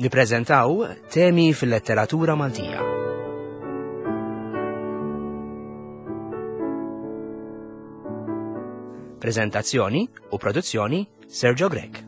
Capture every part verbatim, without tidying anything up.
Nippreżentaw temi fil-letteratura Maltija. Prezentazzjoni u produzzjoni Sergio Grech.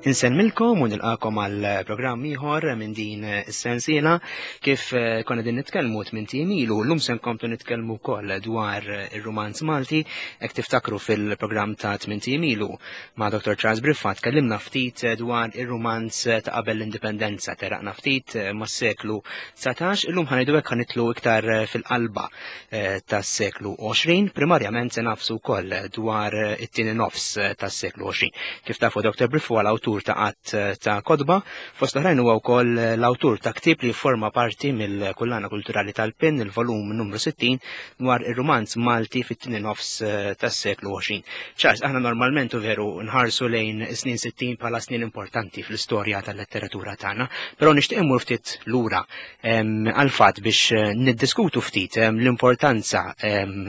Insellmilkom u nilqakom għal programm ieħor minn din is-sensiela kif eh, konna din nitkellmu tmien ilu, llum se nkomplu nitkellmu wkoll dwar ir-rumanz Malti, hekk tiftakru fil-programm ta' tmien ilu ma' Doktor Charles Briffa tkellimna ftit dwar ir-rumanz ta' qabel l-indipendenza, teraqna ftit mas-seklu dsatax, illum ħanejdu hekk ħanitlu iktar fil-qalba, eh, tas-seklu għoxrin, primarjament se nafsu wkoll dwar it-tieni nofs tas-seklu għoxrin. Kif tafu Doktor Briffa huwa l-awtur ta' qatt ta' kotba, fost l-oħrajn huwa wkoll l-awtur ta' ktieb li jifforma parti mill-Kullana Kulturali tal-Pin, il-volum numru sittin, dwar ir-rumanz Malti fit-tieni nofs tas-seklu għoxrin. Charles, aħna normalment u veru nħarsu lejn is-snin sittin bħala snin importanti fl-istorja tal-letteratura tagħna, però nixtieq immur ftit lura, em, għal-fatt biex niddiskutu ftit, em, l-importanza, em,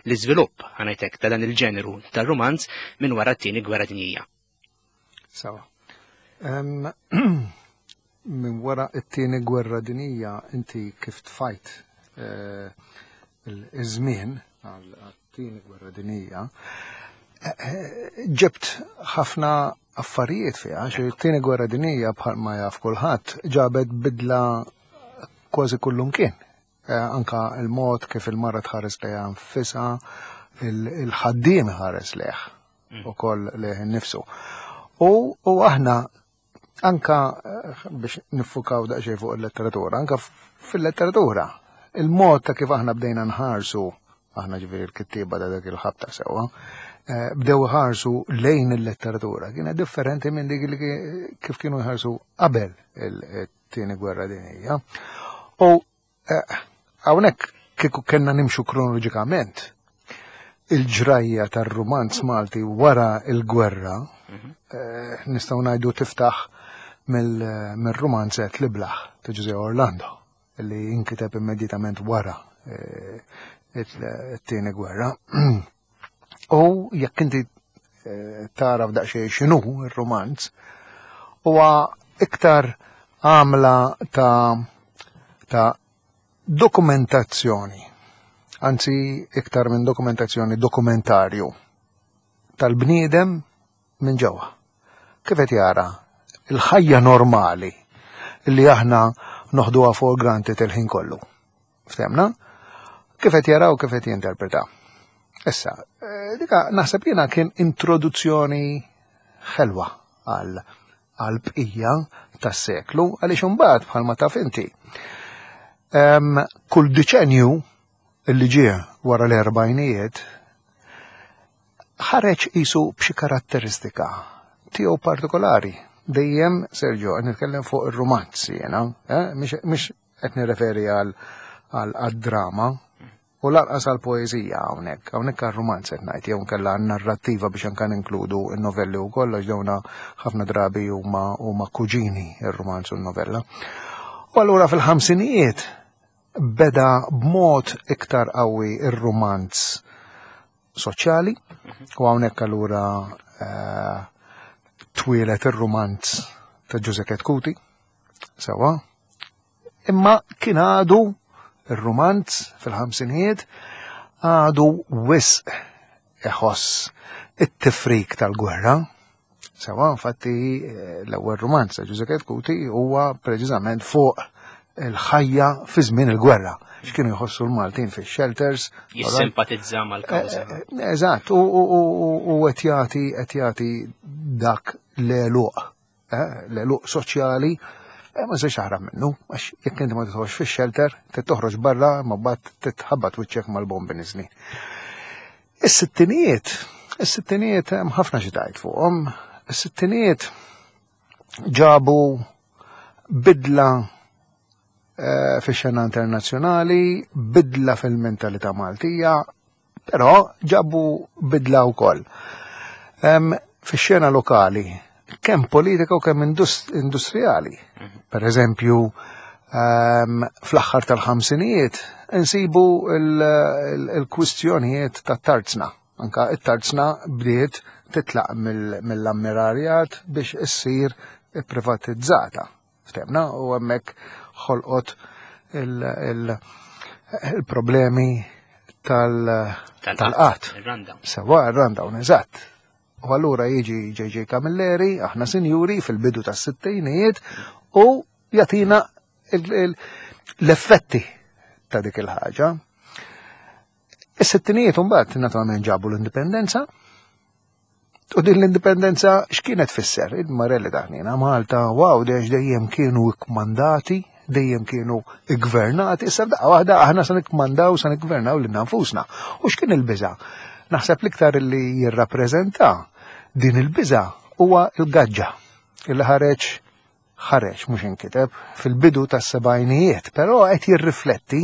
l-iżvilupp, ħanajtek, ta' dan il-ġeneru tar-rumanz minn wara t-tieni gwerra dinjija. Sawa. Em, minn wara t-tieni gwerra dinjija inti kif tfajt, eh, il-żmien għal-tieni gwerra dinjija, eh, eh, ġebt ħafna affarijiet fiha, għax it-tieni gwerra dinjija bħalma jaf kulħadd ġabet bidla kważi kullumkien. Eh, anka il-mod kif il-mara tħares lejha nfisha, il-, il-ħaddiem ħares lejh Mm. ukoll lejh innifsu. U, u aħna anka, eh, biex niffukaw daqsxejn fuq il-letteratura, anka f-, fil-letteratura, il-mod ta' kif aħna bdejna nħarsu, aħna ġifieri l-kittieba ta' dak il-ħabta sewwa, eh, bdew iħarsu lejn il-letteratura, kienet differenti minn dik li ki-, kif kienu jħarsu qabel il-tieni gwerra dinjija. U, eh, hawnhekk kieku kellna nimxu kronoloġikament, il-ġrajja tar-rumanz Malti wara il-gwerra, Mhm. eh, nistgħu ngħidu tiftaħ mill-, mill-rumanzet L-Iblah ta' Ġużè Orlando, li inkiteb immedjatament wara, eh, it-tieni gwerra. U jekk inti, eh, tara f'daqsxejn x'inhu r-rumanz, huwa iktar għamla ta', ta' dokumentazzjoni, anzi iktar minn dokumentazzjoni, dokumentarju tal-bniedem minn ġewwa. Kif qed jara il-ħajja normali li aħna noħduha for granted il-ħin kollu. Ftemna? Kif qed jara u kif qed jinterpreta. Issa, eh, dika naħseb jiena kien introduzzjoni ħelwa għal, għal bqija tas-seklu, għaliex imbagħad bħalma taf inti. Em, kull deċenju li ġie wara l-erbgħinijiet ħareġ qisu b'xi karatteristika tiegħu partikolari. Dejjem, Sergio, qed nitkellem fuq ir-rumanz jiena, eh? Mhix, mhix qed nirreferi għal, għal, għad-drama u lanqas għall-poeżija hawnhekk. Hawnhekk għar-rumanz qed ngħid, jew inkella għan-narrattiva biex anke ninkludu n-novelli wkoll, għax dawna ħafna drabi huma, huma kuġini ir-rumanz u n-novella. U allura fil-ħamsinijiet beda b'mod iktar qawwi ir-rumanz soċjali, u hawnhekk allura, eh, twieled ir-rumanz ta' Ġużè Chetcuti, sewwa. Imma kien għadu ir-rumanz fil-ħamsinijiet għadu wisq iħoss it-tifrik tal-gwerra. Sewwa, infatti, eh, l-ewwel rumanz ta' Ġużè Chetcuti huwa preċiżament fuq il-ħajja fi żmien il-gwerra. X'kienu jħossu l-Maltin fix-shelters. Jissimpatizza mal-kawża. Eh, eh, eżatt, u, u, u, u, u qed jagħti, qed jagħti dak l-għeluq, eh, l-għeluq soċjali, eh, ma nistax taħrab minnu, għax jekk inti ma tidħolx fix-shelter, trid toħroġ barra, ma mbagħad titħabbat wiċċek mal-bombi niżlin. Is-sittinijiet, is-sittinijiet hemm ħafna xi tgħid fuqhom. Is-sittinijiet ġabu bidla, eh, fix-xena internazzjonali, bidla fil-mentalità Maltija, però ġabu bidla wkoll. Fix-xena lokali, kemm politika u kemm industrijali. Per eżempju, fl-aħħar tal-ħamsinijiet insibu il-kwistjonijiet tat-tarzna. Anka it-tarzna bdiet titlaq mill-ammirarjat biex issir privatizzata. Ftemna, u hemmhekk ħolqot il-problemi tal-qatt. Sewa, ir-rundown, eżatt. U allura jiġi J J Camilleri, aħna sinjuri, fil-bidu tas-sittinijiet, u jagħtina l-effetti ta' dik il-ħaġa. Is-sittinijiet imbagħad naturalment ġabu l-indipendenza, u din l-indipendenza x'kienet tfisser? Il-Marelli daħnina Malta, wow, dex dejjem kienu ikkmandati, dejjem kienu iggvernati, issa f'daqqa waħda aħna se nikkmandaw, se niggvernaw lilna nfusna. U x'kien il-biża'? Naħseb l-iktar li jirrappreżenta din il-biża' huwa il-gaġġa illi ħareġ ħareġ mhux inkiteb fil-bidu tas-sebgħinijiet, però qed jirrifletti,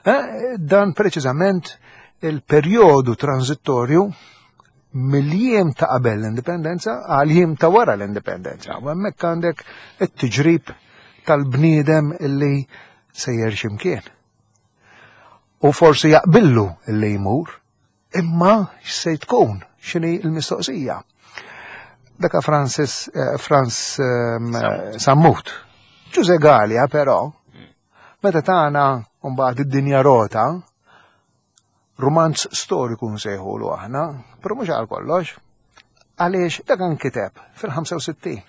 eh, dan preċiżament il-perjodu transitorju mill-jiem ta' qabel l-indipendenza għal jiem ta' wara l-indipendenza. U hemmhekk għandek it-tiġrib tal-bniedem illi sejjer x'imkien. U forsi jaqbillu illi jmur, imma x'se tkun, x'inhi l-mistoqsija. Daka Francis, eh, Frans, ehm, Sammut. Ġuże Galea però, meta tagħna mbagħad id-dinja rota, romanz storiku nsejħulu aħna, però mhux għal kollox, għaliex dak nkiteb fil-ħamsa u sittin,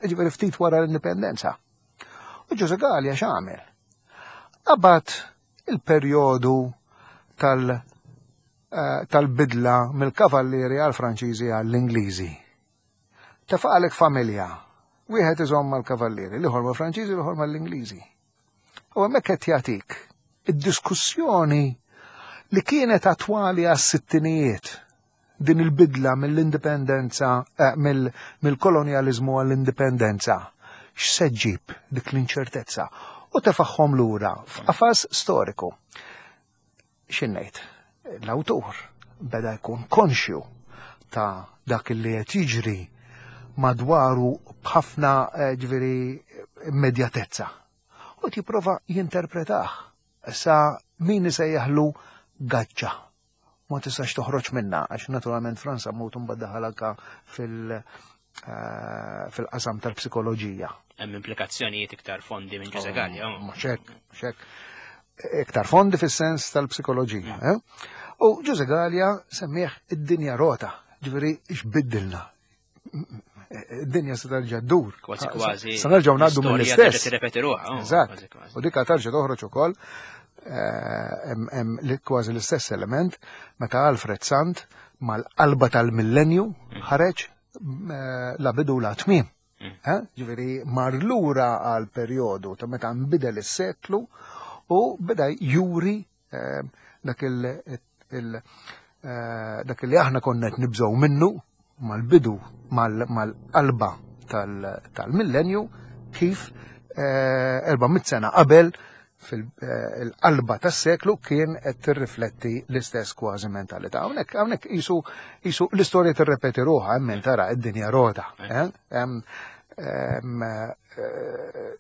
jiġifieri ftit wara l-indipendenza. U Ġuże Galea x'għamel? Qabad il-perjodu tal-, eh, tal-bidla mill-kavallieri għal-Franċiżi għall-Ingliżi. Tefaqalek familja, wieħed iżomm mal-kavallieri, l-ieħor mal-Franċiżi, l-ieħor mal-Ingliżi. U hemmhekk qed jagħtik id-diskussjoni li kienet attwali għas-sittinijiet, din il-bidla mill-indipendenza, eh, mill-, mill-kolonjaliżmu għall-indipendenza. X'se ġġib dik l-inċertezza? U tefaħħom lura f'qafas storiku. X'innejt? L-awtur beda jkun konxju ta' dak li qed jiġri madwaru b'ħafna, eh, ġifieri immedjatezza. U jipprova jinterpretah. Issa min isejjaħlu gaġġa. Ma tistax toħroġ minna, għax naturalment Frans Sammut mbagħad daħal anka fil-, eh, fil-qasam tal-psikoloġija. Hemm implikazzjonijiet iktar fondi minn Ġuże Galea, oh. Mhux hekk, mhux hekk. Iktar fondi fis-sens tal-psikoloġija, eh? U Ġuże Galea semmih id-dinja rota, ġifieri x'biddilna. Id-dinja se terġa' ddur. Kważi kważi. Se nerġgħu ngħaddu L-istorja mill-istess. terġa' tirrepeti ruħha, oh, Eżatt. kważi kważi. U dik terġa' toħroġ ukoll, eh, hemm, hemm li kważi l-istess element meta Alfred Sant mal-qalba tal-millenju ħareġ, eh, la bidu la tmiem. Mm. Eh? Ġifieri mar lura għal perjodu ta' meta nbidel is-seklu u beda juri, eh, dak il-, il-, eh, dak li aħna konna qed nibżgħu minnu mal-bidu, mal-, mal-qalba tal-, tal-millenju, kif, eh, erba' mitt sena qabel fil-qalba tas-seklu kien qed tirrifletti l-istess kważi mentalità. Hawnhekk, hawnhekk qisu, qisu l-istorja tirrepeti ruħha, hemm min tara id-dinja rota, eh? Hemm, hemm, eh,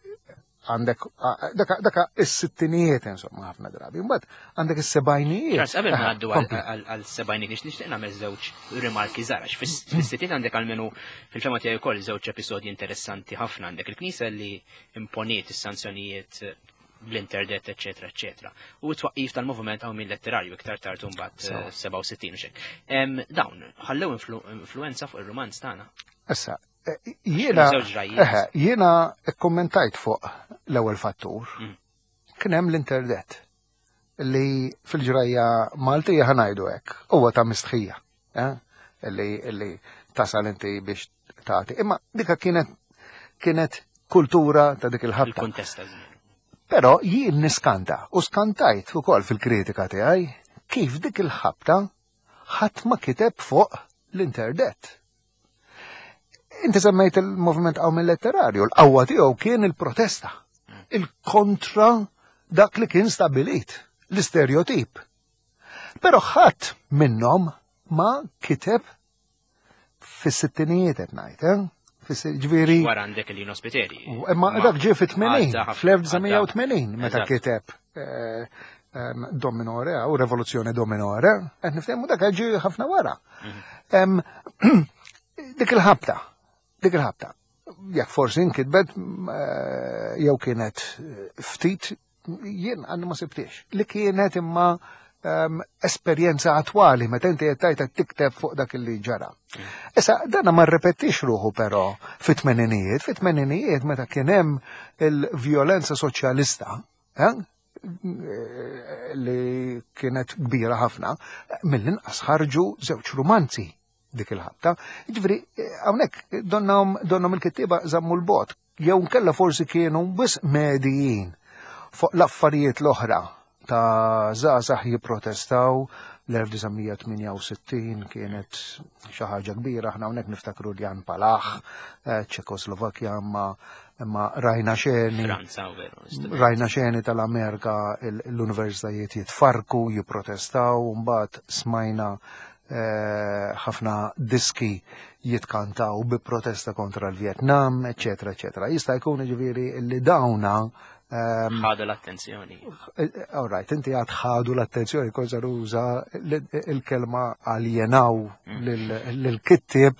għandek, a, daka, daka is-sittinijiet, insomma, ħafna drabi. Mbagħad għandek is-sebgħinijiet. Charles, qabel ma Aha, ngħaddu għal- kompli. għal-, għal sebgħinijiet, nixtieq nagħmel żewġ rimarki żgħar, għax fis-, fis-sittin għandek almenu fil-fema tiegħi wkoll żewġ episodji interessanti ħafna. Għandek il-Knisja li imponiet is-sanzjonijiet bl-interdet, eccetera, eccetera. U t-twaqqif tal-moviment għaw minn letterarju iktar tard mbagħad, So. eh, sebgħa u sittin u xek. Em, dawn ħallew influ-, influenza fuq ir-romanz tagħna. Issa, eh, jiena Żewġ ġrajiet. eħe, jiena kkommentajt fuq l-ewwel fattur. Mm. Kien hemm l-interdet li fil-ġrajja Maltija ħanajdu hekk, huwa ta' mistħija, eh? Li, li tasal inti biex tagħti. Imma dika kienet, kienet kultura ta' dik il-ħabta. Il-kuntest ta' żmien. Però jien niskanta u skantajt ukoll fil-kritika tiegħi kif dik il-ħabta ħadd ma kiteb fuq l-interdet. Inti semmejt il-moviment qawmien letterarju, l-qawwa tiegħu kien il-protesta, il-kontra dak li kien stabilit, l-istereotip. Però ħadd minnhom ma kiteb Fis-sittinijiet qed ngħid, eh? Ġifieri. Wara għandek il-Lino Spiteri. Imma dak ġie fit-tmenin, fl-elf disa' mija u tmenin, meta kiteb eh, Do Minore u Revoluzione Do Minore, qed niftehmu, dak ġie ħafna wara. Mhm. Dik il-ħabta, dik il-ħabta. Jekk forsi nkitbet eh, jew kienet ftit, jien għandu ma sibtix. Li kienet imma um, esperjenza attwali meta inti qed tgħid tikteb fuq dak li ġara. Issa dana ma rrepetix ruħu però fit-tmeninijiet, fit-tmeninijiet meta kien hemm il-vjolenza soċjalista, eh? li kienet kbira ħafna, mill-inqas ħarġu żewġ rumanzi dik il-ħabta. Ġifieri, hawnhekk donnhom donnhom il-kittieba żammu l-bogħod, jew nkella forsi kienu biss medijin fuq l-affarijiet l-oħra ta' żgħażagħ jipprotestaw. L-elf disa' mija tmienja u sittin kienet xi ħaġa kbira, aħna hawnhekk niftakru Jan Palach, eh, Ċekoslovakkja, ma ma rajna xeni. Franza, veru. Rajna xeni tal-Amerika, l-universitajiet jitfarku, jipprotestaw, mbagħad smajna eh, ħafna diski jitkantaw bi protesta kontra l-Vietnam, eccetera, eccetera. Jista' jkun, ġifieri, li dawna ħadu l-attenzjoni. All right, inti għad ħadu l-attenzjoni, koza ruża il-kelma aljenaw mm. l-kittib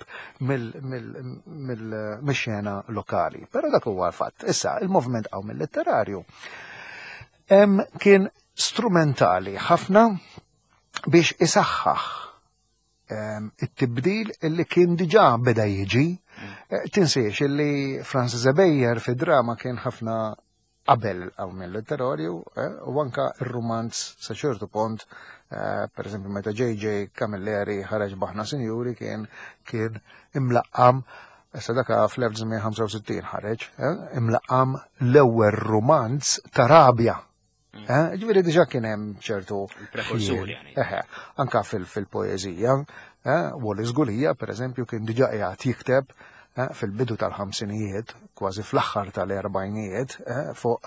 mill-xena lokali. Pero dak huwa l-fatt. Issa, il-movement Qawmien Letterarju kien strumentali ħafna biex isaħħaħ it-tibdil illi kien diġà beda jiġi. Mm. Eh, tinsiex illi Francis Ebejer fi drama kien ħafna qabel Qawmien Letterarju, eh, u anka il-romanz sa ċertu punt, eh, per eżempju meta J J. Camilleri ħareġ b'Aħna Sinjuri, kien kien imlaqqam, issa daka fl-elf disa' mija ħamsa u sittin ħareġ, eh, imlaqqam l-ewwel romanz ta' rabja. Mm. Ġifieri diġà kien hemm ċertu. Prekursuri. Anka fil-poeżija, Wallace Gulia, per eżempju, kien diġà qiegħed jikteb Eh, fil-bidu tal-ħamsinijiet, kważi fl-aħħar tal-erbajnijiet, eh, fuq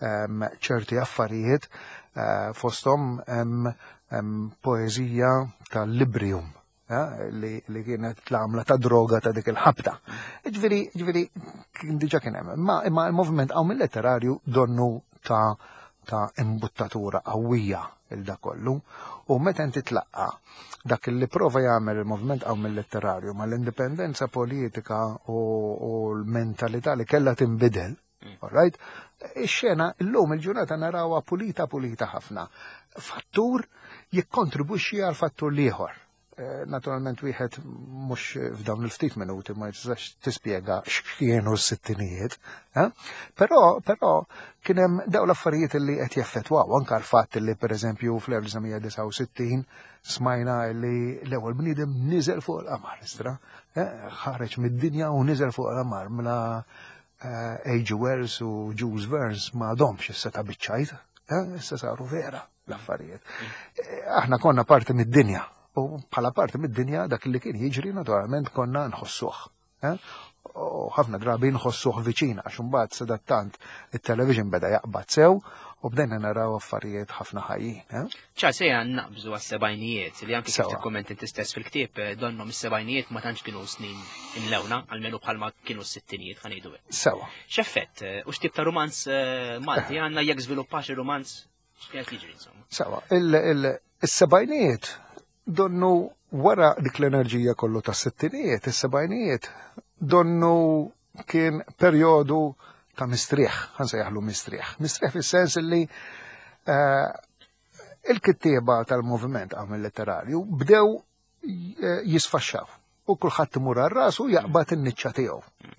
ehm, ċerti affarijiet, eh, fostom poeżija tal-Librium li, li kienet l-għamla ta' droga ta' dik il-ħabta. Ġifieri, ġifieri, kien diġà kien hemm. Imma, imma il-movement Qawmien Letterarju donnu ta' ta' imbuttatura qawwija il da kollu, u meta inti tlaqqa dak li prova jagħmel il-movement Qawmien Letterarju mal-indipendenza politika u, u l-mentalità li kellha tinbidel, mm. all right? Ix-xena illum il-ġurnata narawha pulita pulita ħafna. Fattur jikkontribwixxi għal fattur l-ieħor. Eh, naturalment wieħed mhux f'dawn il-ftit minuti ma jistax tispjega x'kienu s-sittinijiet, eh? Però però kien hemm dawn l-affarijiet li qed jeffettwaw, anke l-fatt li pereżempju fl-elf disa' mija disgħa u sittin smajna li l-ewwel bniedem niżel fuq il-qamar, istra, eh, ħareġ mid-dinja u niżel fuq il-qamar, mela H G. Wells u Jules Verne ma għadhomx issa ta' biċċajt, issa saru vera l-affarijiet. Aħna konna parti mid-dinja u bħala parti mid-dinja dak li kien jiġri naturalment konna nħossuh. Eh? U ħafna drabi nħossuh viċin, għax imbagħad sadattant it-television beda jaqbad sew u bdejna naraw affarijiet ħafna ħajjin. Eh? ċa sejja naqbżu għas-sebgħinijiet li anki kif tikkommenti inti stess fil-ktieb, eh, donnom is-sebgħinijiet ma tantx kienu snin imlewna, almenu bħalma kienu s-sittinijiet, ħa ngħidu. Sewa. X'effett u x'tip ta' romanz Malti għandna, jekk żviluppax ir-romanz, x'kienet jiġri insomma? Sewa, il-sebgħinijiet donnu wara dik l-enerġija kollu ta' sittinijiet, is-sebgħinijiet donnu kien perjodu ta' mistrieħ, ħa nsejjaħlu mistrieħ. Mistrieħ fis-sens li uh, il-kittieba tal-moviment Qawmien Letterarju bdew eh, jisfaxxaw u kulħadd imur għal rasu jaqbad in-niċċa tiegħu.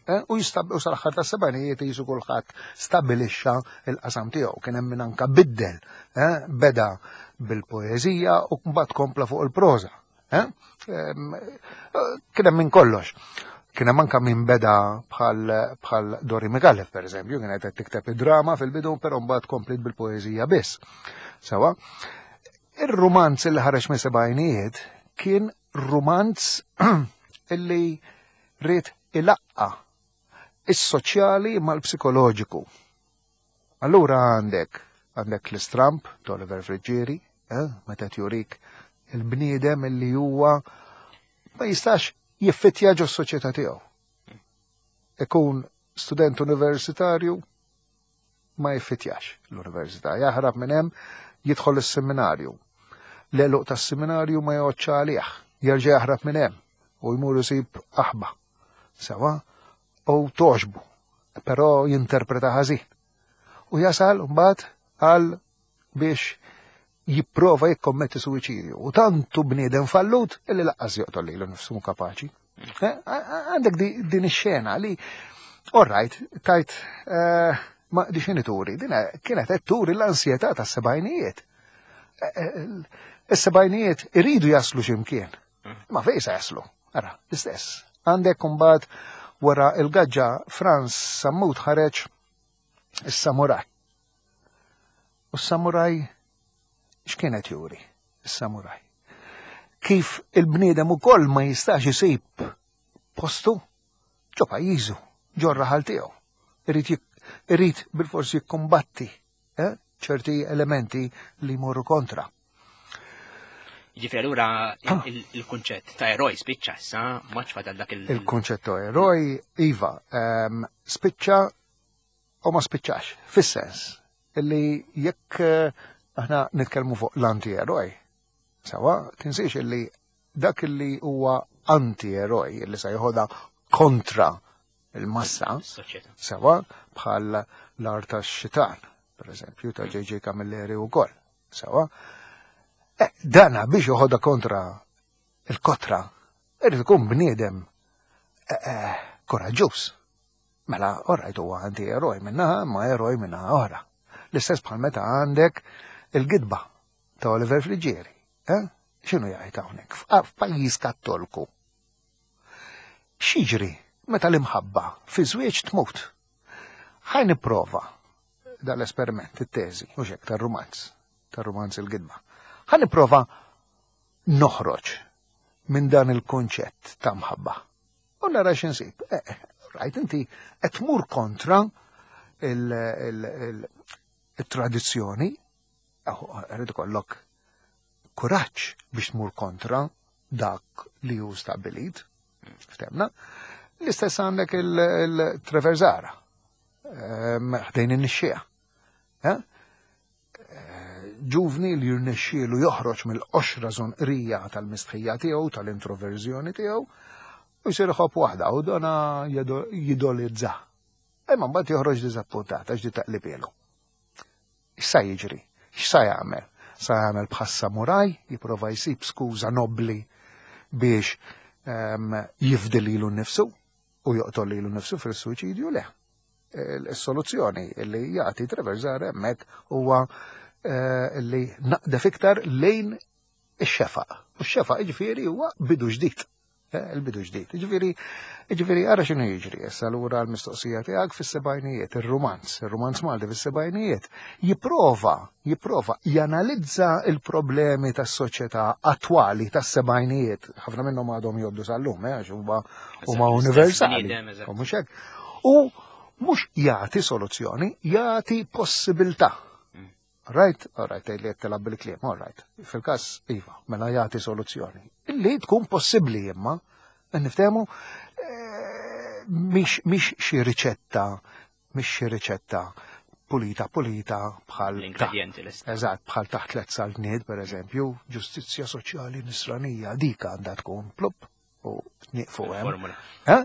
Eh, u jistab u sal-aħħar tas-sebgħinijiet jisu kulħadd stabilixxa il-qasam tiegħu. Kien hemm min anka biddel, eh, beda bil-poeżija u mbagħad kompla fuq il-proża. Eh? Kien hemm minn kollox. Kien hemm anka min beda bħal bħal Dori Micallef, per eżempju, kienet qed tikteb id-drama fil-bidu, però mbagħad komplit bil-poeżija biss. Sewa. Ir-rumanz li ħareġ minn sebgħinijiet kien rumanz illi ried ilaqqa is-soċjali mal-psikoloġiku. Allura għandek għandek l-Istramb Oliver Friggieri, eh, meta jurik il-bniedem illi huwa ma jistax Jiffitja ġo s-soċjetà tiegħu. Ikun student universitarju, ma jiffitjax l-università, jaħrab minn hemm, jidħol is-seminarju. L-għeluq tas-seminarju ma joqgħodx għalih, jerġa' jaħrab minn hemm u jmur isib aħba. Sewa, u toġbu, però jinterpreta ħażin. U jasal mbagħad għal biex jipprova jikkommetti suwiċidju. U tantu bniedem fallut illi lanqas joqtol lilu nnifsu mhu kapaċi. Eh, għandek din ix-xena li, all right, tajt, eh, ma di xini turi, din kienet qed turi l-ansjetà tas-sebgħinijiet. Eh, is-sebgħinijiet iridu jaslu x'imkien. Ma fejn se jaslu? Ara, l-istess. Għandek imbagħad wara il-gaġġa Frans Sammut ħareġ is-samuraj. U s-samuraj x'kienet juri? Is-samuraj. Kif il-bniedem ukoll ma jistax isib postu ġo pajjiżu, ġo raħal tiegħu. Irid irid bil-forsi jikkombatti eh, ċerti elementi li jmorru kontra. Ġifieri allura il-kunċett ta' eroj spiċċa issa, maċ fadal dak il- Il-kunċett ta' eroj, iva, ehm, spiċċa u ma spiċċax, fis-sens illi jekk eh, aħna nitkellmu fuq l-anti-eroj, sawa, tinsiex illi dak illi huwa anti-eroj, illi se jħodha kontra il-massa, Soċjetà. sewa, bħal l-Art tax-Xitan, per eżempju, ta' J J. Camilleri u koll, sewa. Eh, dana biex joħodha kontra il-kotra, irid ikun bniedem eh, eh, koraġġuż. Mela, orrajt, huwa anti-eroj minnaħa, ma eroj minnaħa oħra. L-istess bħal meta għandek il-gidba ta' Oliver Friggieri. Eh? X'inhu jgħid hawnhekk? F'pajjiż Kattolku. X'jiġri meta l-imħabba fi żwieġ tmut? Ħa nipprova dal-esperiment, it-teżi, u xek, tar-rumanz, tar-rumanz il-gidba. Ħa nipprova noħroġ minn dan il-konċett ta' mħabba. U nara x'insib. Eh, eh, right, inti qed tmur kontra il-tradizzjoni, irid ikollok kuraġġ biex tmur kontra dak li hu stabbilit. Ftemna. L-istess għandek il-Trevor Zahra, ħdejn in-nixxiegħa. Eh? Ġuvni li jirnexxielu joħroġ mill-qoxra żonqrija tal-mistħija tiegħu, tal-introverżjoni tiegħu, u jsir iħobb waħda u dona jidolizza. Imma mbagħad joħroġ diżappuntat għax di taqlibielu. X'sa jiġri? X'sa jagħmel? Sa jagħmel bħas-samuraj, jipprova jsib skuża nobli biex um, jifdi lilu nnifsu u joqtol lilu nnifsu fil-suwiċidju? Le. Il-soluzzjoni li jagħti Trevor Zahra hemmhekk huwa eh, li naqdef iktar lejn ix-xefaq. U x-xefaq ġifieri huwa bidu ġdid. Eh, il-bidu ġdid. Ġifieri, ġifieri ara x'inhu jiġri. Issa lura l-mistoqsija tiegħek fis-sebgħinijiet, ir-rumanz, ir-rumanz Malti fis-sebgħinijiet jipprova, jipprova janalizza il-problemi tas-soċjetà attwali tas-sebgħinijiet. Ħafna minnhom għadhom jgħoddu sal-lum, eh, għax huma huma universali. U mhux hekk. U mhux jagħti soluzzjoni, jagħti possibilità. Right, all right, li qed tilgħab bil-kliem, all right. Fil-każ iva, mela jagħti soluzzjoni. Illi tkun possibbli imma, niftehmu, eh, mhix mhix xi riċetta, mhix xi riċetta pulita pulita bħal L-ingredienti l Eżatt, bħal taħt tliet saltniet, per eżempju, ġustizzja soċjali nisranija, dik għandha tkun plup u nieqfu hemm. Formula. Eh?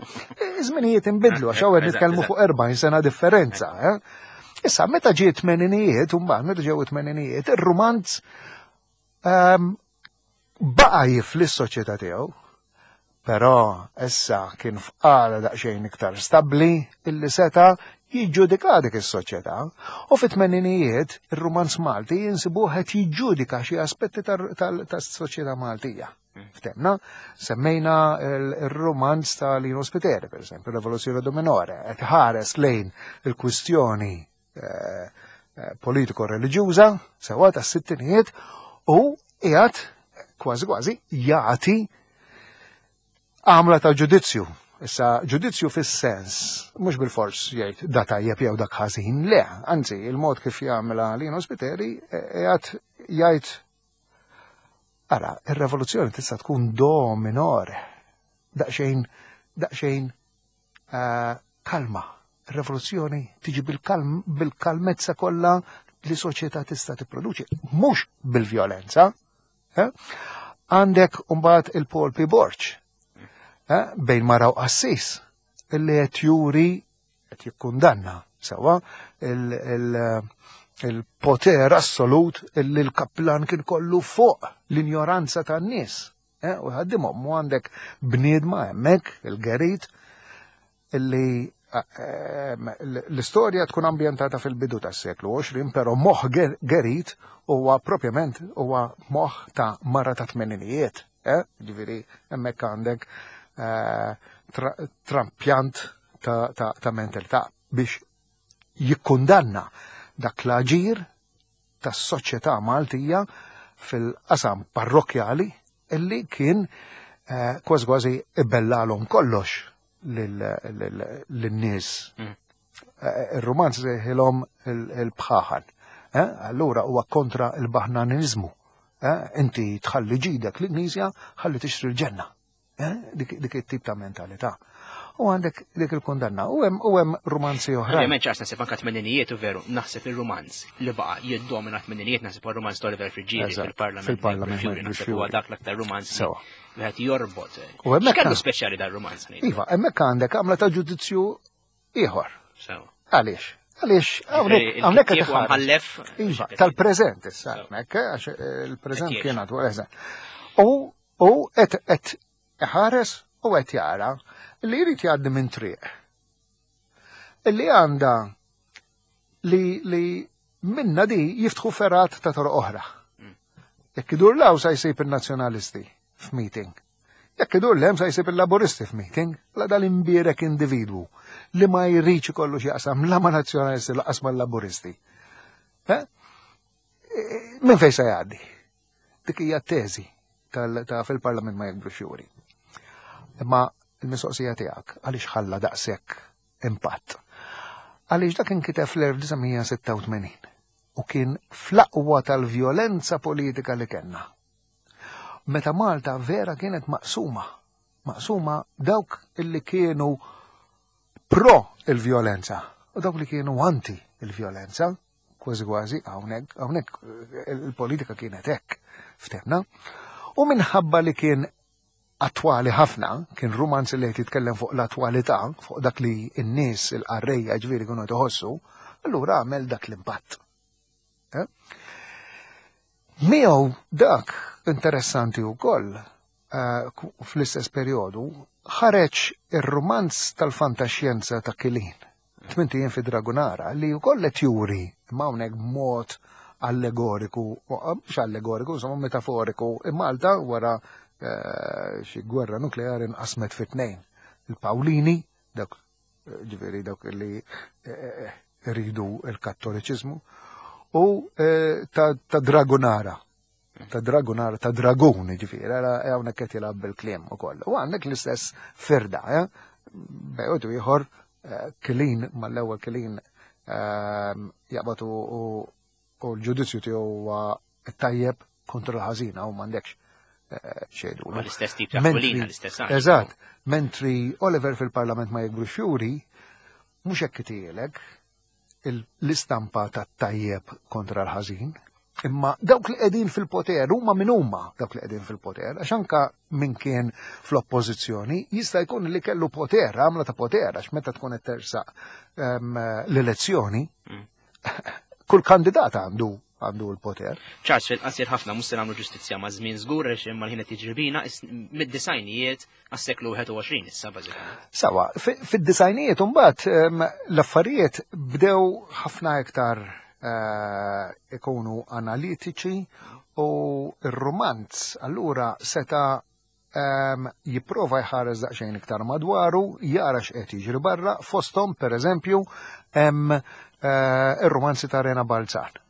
Iż-żminijiet inbidlu, għax hawn Eżatt, nitkellmu eżatt. fuq erbgħin sena differenza. Eh? Issa, meta ġie tmeninijiet, u mbagħad meta ġew tmeninijiet, ir-rumanz ehm, baqa' jifli s-soċjetà tiegħu, però issa kien f'qagħda daqsxejn iktar stabbli illi seta' jiġġudika dik is-soċjetà. U fit-tmeninijiet ir-rumanz Malti jinsibuh qed jiġġudika xi aspetti tas-soċjetà Maltija. Ftemna, semmejna il-romanz ta' Lino Spiteri, per esempio, Rivoluzione do Minore, qed ħares lejn il-kwistjoni eh, eh, politiko-reliġjuża, sewa tas-sittinijiet, u qiegħed kważi kważi jagħti għamla ta' ġudizzju. Issa, ġudizzju fis-sens, mhux bil-fors jgħid da tajjeb jew dak ħażin, le, anzi, il-mod kif jagħmilha Lino Spiteri eh, qiegħed jgħid: Ara, ir-revoluzzjoni tista' tkun do minore, daqsxejn daqsxejn eh, kalma. Ir-rivoluzzjoni tiġi bil-kalm bil-kalmezza kollha li soċjetà tista' tipproduċi, mhux bil-vjolenza. eh? Għandek mbagħad il-Paul P. Borg, eh, bejn mara u qassis, illi qed juri qed jikkundanna sewwa il- il- il-poter assolut illi l-kaplan kien kollu fuq l-injoranza tan-nies. Eh, u ħaddimhom u għandek bniedma hemmhekk il-Gerit illi eh, l-istorja tkun ambjentata fil-bidu tas-seklu għoxrin, però moħħ Ger- Gerit huwa propjament huwa moħħ ta' mara ta' tmeninijiet. Eh? Ġifieri hemmhekk għandek eh, tra- trampjant ta', ta, ta' mentalità biex jikkundanna dak l-aġir tas-soċjetà Maltija fil-qasam parrokjali illi kien eh, kważi kważi ibellalhom kollox lin-nies. Mm. Eh, Ir-romanz sejħilhom il-bħaħan. Eh? Allura huwa kontra il-baħnanizmu. Eh? Inti tħalli ġidek l-Knisja, ħalli tixtri l-ġenna. Eh? Dik dik it-tip ta' mentalità. U għandek dik il-kundanna. U hemm u hemm romanzi oħrajn. Ovvjament ċars naħseb anka tmeninijiet u veru, naħseb il-romanz li baqa jiddomina tmeninijiet naħseb il-romanz ta' Oliver Friggieri Eżatt, fil-Parlament. fil-Parlament Fury, Michael naħseb huwa Fury. dak l-aktar romanz li Sewa. wieħed jorbot. U hemmhekk X'kellu għan- speċjali dar romanz ngħidu? Iva, hemmhekk għandek għamla ta' ġudizzju ieħor. Sewa. Għaliex? Għaliex hawnhekk hawnhekk qed Il-kittieb huwa iħares. mħallef. Iva, tal-preżent issa hemmhekk, eh, għax eh, il-preżent Qed kien għadu, eżatt. U u qed qed iħares u qed jara li jrid jgħaddi minn triq. Illi għandha li li minna di jiftħu ferat ta' toroq oħra. Jekk idur 'l hawn sa jsib il-nazzjonalisti f'meeting. Jekk idur 'l hemm sa jsib il-laburisti f'meeting, la dal-imbierek individwu li ma jridx ikollu x'jaqsam la ma' nazzjonalisti lanqas ma' laburisti. Eh? E, Minn fejn se jgħaddi? Dik hija teżi tal- ta' fil-Parlament ma jikbru xjuri. Imma il-mistoqsija tiegħek għaliex ħalla daqshekk impatt? Għaliex dak inkiteb fl-elf disa' mija sitta u tmenin u kien fl-aqwa tal-vjolenza politika li kellna. Meta Malta vera kienet maqsuma, maqsuma dawk illi kienu pro il-vjolenza u dawk li kienu anti il-vjolenza, kważi kważi hawnhekk hawnhekk eh, il-politika kienet hekk ftemna. U minħabba li kien attwali ħafna, kien romanz li qed jitkellem fuq l-attwalità, fuq dak li n-nies il-qarrejja ġifieri kienu iħossu, allura għamel dak l-impatt. Eh? Miegħu dak interessanti wkoll eh, ku- fl-istess perjodu ħareġ ir-romanz tal-fantaxjenza ta' Kilin. Tmint Ijiem fi Dragunara li wkoll qed juri imma hawnhekk b'mod allegoriku, u, mhux allegoriku, insomma metaforiku, Malta wara eh, xi gwerra nukleari nqasmet fi tnejn. Il-Pawlini, dak eh, ġifieri dawk li eh, iridu il-kattoliċiżmu, u eh, ta', ta' Dragunara. Ta' Dragunara, ta' Dragun, ġifieri, ara hawnhekk qed jilgħab bil-kliem ukoll. U għandek l-istess firda, eh? Bejn ieħor eh, Kilin, mal-ewwel Kilin eh, jaqbad u u- u l-ġudizzju tiegħu huwa tajjeb kontra l-ħażina u m'għandekx eh, xejdu. Ma l-istess tip ta' Mentri- Aquilina, l-istess għax. Eżatt, mentri Oliver fil-Parlament ma jikbru xjuri, mhux hekk itielek il- l-istampa ta' tajjeb kontra l-ħażin, imma dawk li qegħdin fil-poter huma min huma dawk li qegħdin fil-poter, għax anka min kien fl-oppożizzjoni jista' jkun li kellu poter, għamla ta' poter, għax meta tkun qed tersaq ehm, l-elezzjoni, Mm. kull kandidat għandu għandu l-poter. Charles, fil-qasir ħafna mhux se nagħmlu ġustizzja ma' żmien żgur għax imma l-ħin qed jiġri bina is- mid-disgħinijiet għas-seklu wieħed u għoxrin issa bażikament. Sawa, fi- fid-disgħinijiet mbagħad em, l-affarijiet bdew ħafna iktar eh, ikunu analitiċi u r-romanz allura seta em, jipprova jħares daqsxejn iktar madwaru, jara x'qed jiġri barra, fosthom pereżempju hemm eh, ir-romanzi ta' Rena Balzan.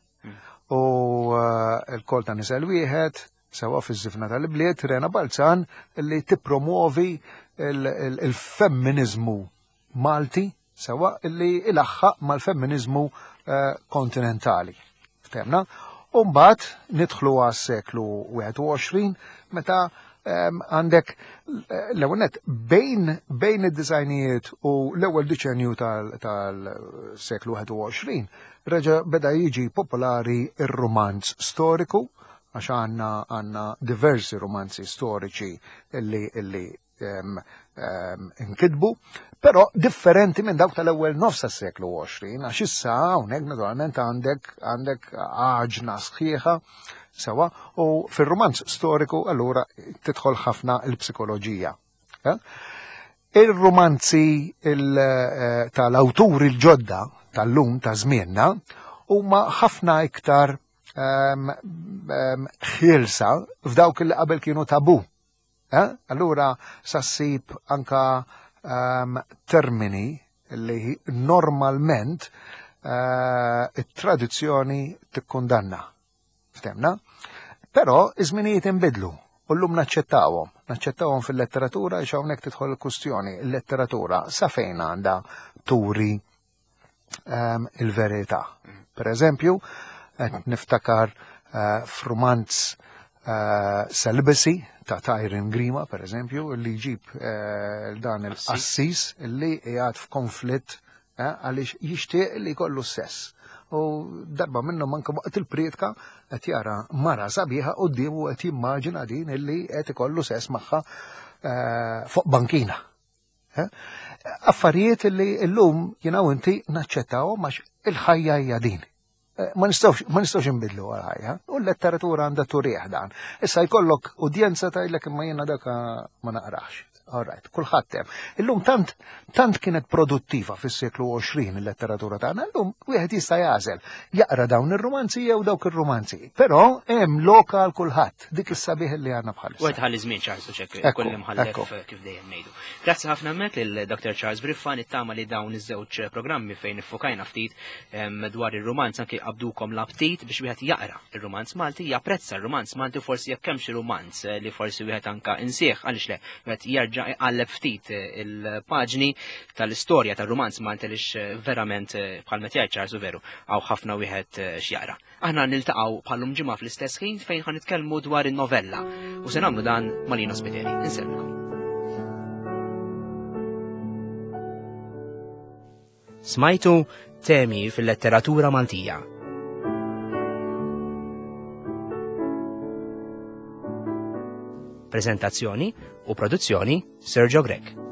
U eh, il-kol ta' nisel wieħed, sewa fiż-żifna tal-bliet, Rena Balzan li tippromuovi il- il-femminizmu Malti, sewa li ilaħħaq mal-femminizmu eh, kontinentali. Ftemna? U mbagħad nidħlu għas-seklu wieħed u għoxrin meta Għandek l-ewwel nett bejn bejn id-disgħinijiet u l-ewwel deċenju tal-seklu wieħed u għoxrin reġa' beda jiġi popolari ir-romanz storiku, għax għandna għandna diversi romanzi storiċi illi illi inkitbu, però differenti minn dawk tal-ewwel nofs tas-seklu għoxrin, għax issa hawnhekk naturalment għandek għandek għaġna sħiħa sewa, u fil-romanz storiku allura tidħol ħafna il-psikoloġija. Eh? Il-romanzi eh, tal-awturi l-ġodda tal-lum ta' żmienna huma ħafna iktar ħielsa f'dawk li qabel kienu tabu. Eh? Allura sa ssib anka um, termini li normalment uh, it-tradizzjoni tikkundanna. Ftemna? Però iż-żminijiet inbidlu u llum naċċettawhom. Naċċettawhom fil-letteratura, għax hawnhekk tidħol il-kustjoni. Il-letteratura sa fejn għandha turi um, il-verità? Per eżempju, qed niftakar uh, f'rumanz uh, Celibacy ta' Tyron Grima, per eżempju, li jġib uh, dan il-qassis li qiegħed f'konflitt għaliex jixtieq li jkollu sess. U darba minnhom anke waqt il-prietka qed jara mara sabiħa quddiemu, qed jimmaġina din illi qed ikollu sess magħha fuq bankina. Affarijiet li llum jiena u inti naċċettawhom għax il-ħajja hija din. Ma nistgħux ma nistgħux inbidlu għal-ħajja. U l-letteratura għandha turih dan. Issa jkollok udjenza tgħidlek, "Imma jiena dak ma naqrax." All right, kulħadd hemm. Illum tant tant kienet produttiva fis-seklu għoxrin il-letteratura tagħna, illum wieħed jista' jagħżel jaqra dawn ir-romanzi jew dawk ir-romanzi. Però hemm lokal kulħadd, dik is-sabiħ li għandna bħalissa. U ħalli żmien Charles u ċek Ekku, kolli mħallef ekku. kif dejjem ngħidu. Grazzi ħafna hemmhekk lil Doctor Charles Briffa. Nittama li dawn iż-żewġ programmi fejn iffokajna ftit em, dwar ir-romanz anke qabdukom l-aptit biex wieħed jaqra ir-romanz Malti, japprezza r-romanz Malti, u forsi jekk hemm xi romanz eh, li forsi wieħed anka insieħ, għaliex le wieħed jerġa' iqalleb ftit eh, il-paġni tal-istorja tar-romanz Malti, għaliex eh, verament eh, bħal meta jgħid Charles u veru hawn ħafna wieħed eh, x'jaqra. Aħna niltaqgħu bħallum ġimgħa fl-istess ħin fejn ħa nitkellmu dwar in-novella u se nagħmlu dan ma' Lino Spiteri. Insellmilkom. Smajtu Temi fil-letteratura Maltija. Prezentazzjoni u produzzjoni Sergio Grech.